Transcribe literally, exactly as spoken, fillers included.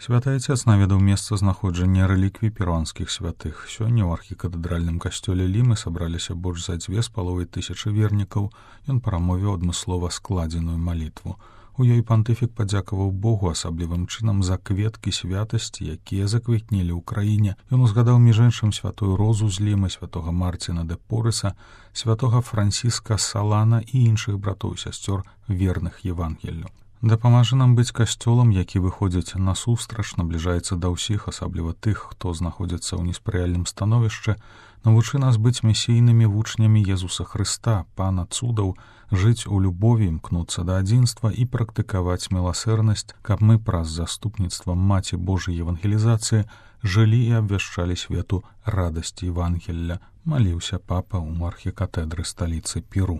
Святы Отец наведаў месца знаходжання рэліквій перуанскіх святых. Сёння ў архікатэдральным касцёле Лімы сабраліся больш за дзве з паловай тысячы вернікаў. Ён прамовіў адмыслова складзеную малітву. У ёй пантыфік падзякаваў Богу асаблівым чынам за кветкі святасці, якія заквітнелі ў краіне. Ён узгадаў між іншым святую Розу з Лімы, святога Марціна де Порыса, святога Франціска Салана і іншых братоў і сясцёр верных Евангеллю. Дапамажы нам быць касцёлам, які выходзіць насустрач, набліжаецца да ўсіх, асабліва тых, хто знаходзіцца ў неспрыяльным становішчы, навучы нас быць месійнымі вучнямі Езуса Хрыста, Пана цудаў, жыць у любові, імкнуцца да адзінства і практыкаваць міласэрнасць, каб мы праз заступніцтва Маці Божай евангелізацыі жылі і абвяшчалі свету радасці Евангелля, маліўся папа ў архікатэдры сталіцы Перу.